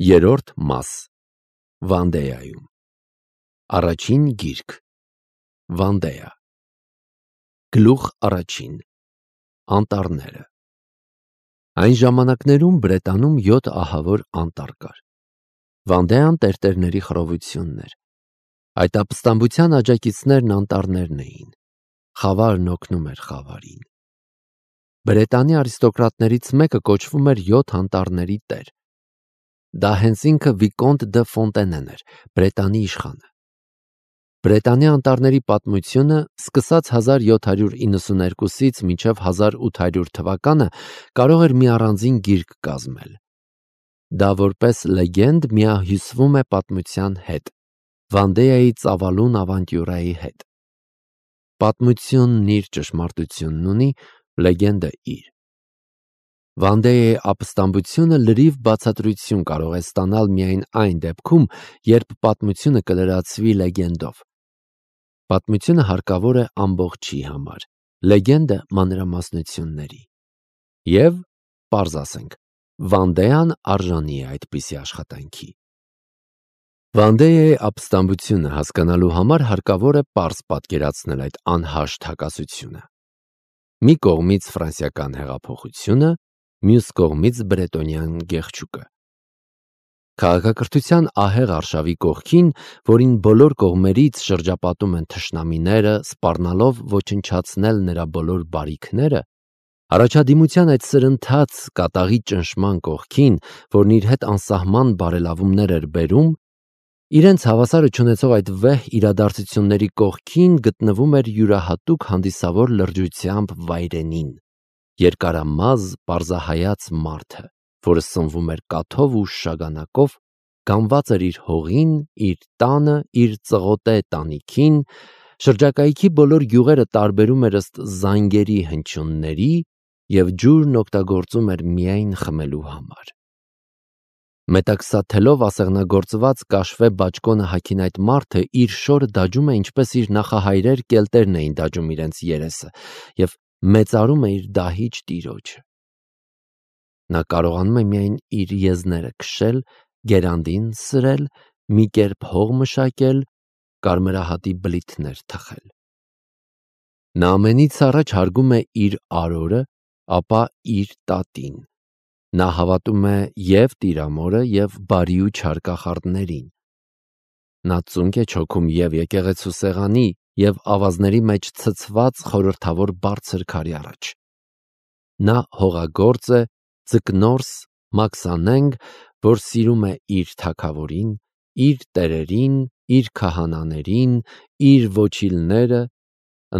Երրորդ մաս Վանդեայում Առաջին գիրք Վանդեա Գլուխ առաջին Անտառները Այն ժամանակներում Բրետանում 7 ահավոր անտառ կար։ Վանդեան տերտերների խռովությունն էր։ Այդ ապստամբության աջակիցներն անտառներն էին։ Խավարն օգնում էր խավարին։ Բրետանի արիստոկրատներից մեկը կոչվում էր 7 անտառների տեր։ Դա հենց ինքը Վիկոնտ դը Ֆոնտենեն էր, Բրետանի իշխանը։ Բրետանի անտառների պատմությունը սկսած 1792-ից մինչև 1800 թվականը կարող էր մի առանձին գիրք կազմել։ Դա որպես լեգենդ միահյուսվում է պատմության հետ, Վանդեայի ծավալուն ավանտյուրայի հետ։ Պատմությունն իր ճշմարտությունն ունի, լեգենդը իր։ Վանդեայի ապստամբությունը լրիվ բացատրություն կարող է ստանալ միայն այն դեպքում, երբ պատմությունը կլրացվի լեգենդով։ Պատմությունը հարկավոր է ամբողջի համար, լեգենդը մանրամասնությունների։ Եվ, պարզ ասենք, Վանդեան արժանի է այդպիսի աշխատանքի։ Վանդեայի ապստամբությունը հասկանալու համար հարկավոր է պարզ պատկերացնել այդ անհաշտ հակասությունը։ Մի կողմից ֆրանսիական հեղափոխությունը, մյուս կողմից բրետոնյան գեղչուկը։ Քաղաքակրթության ահեղ արշավի կողքին, որին բոլոր կողմերից շրջապատում են թշնամիները, սպառնալով ոչնչացնել նրա բոլոր բարիքները, առաջադիմության այդ սրընթաց կատաղի ճնշման կողքին, որն իր հետ անսահման բարելավումներ էր բերում, իրենց հավասարը չունեցող այդ վեհ իրադարձությունների կողքին գտնվում էր յուրահատուկ հանդիսավոր լրջությամբ վայրենին, երկարամազ պարզահայաց մարդը, որը սնվում էր կաթով ու շագանակով, գանված էր իր հողին, իր տանը, իր ծղոտե տանիքին, շրջակայքի բոլոր գյուղերը տարբերում էր ըստ զանգերի հնչյունների և ջուրն օգտագործում էր միայն խմելու համար։ Մետաքսաթելով ասեղնագործված կաշվե բաճկոնը հագին այդ մարդը իր շորը դաջում է, ինչպես իր նախահայրեր կելտերն էին դաջում իրենց երեսը, և մեծարում է իր դահիճ տիրոջը։ Նա կարողանում է միայն իր եզները քշել, գերանդին սրել, մի կերպ հող մշակել, կարմրահատի բլիթներ թխել։ Նա ամենից առաջ հարգում է իր արորը, ապա իր տատին։ Նա հավատում է և տիրամորը, և բարի ու չար կախարդներին։ Նա ծունկ է չոքում և եկեղեցու սեղանի, և ավազների մեջ ցցված խորհրդավոր բարձր քարի առաջ։ Նա հողագործ է, ձկնորս, մաքսանենգ, որ սիրում է իր թագավորին, իր տերերին, իր քահանաներին, իր ոչիլները,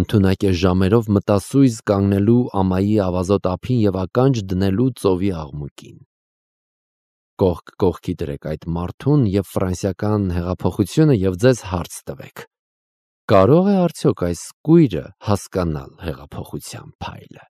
ընդունակ է ժամերով մտասույզ կանգնելու ամայի ավազոտ ափին և ականջ դնելու ծովի աղմուկին։ Կողք կողքի դրեք այդ մարդուն և ֆրանսիական հեղափոխությունը և ձեզ հարց տվեք. կարո՞ղ է արդյոք այս կույրը հասկանալ հեղափոխության փայլը։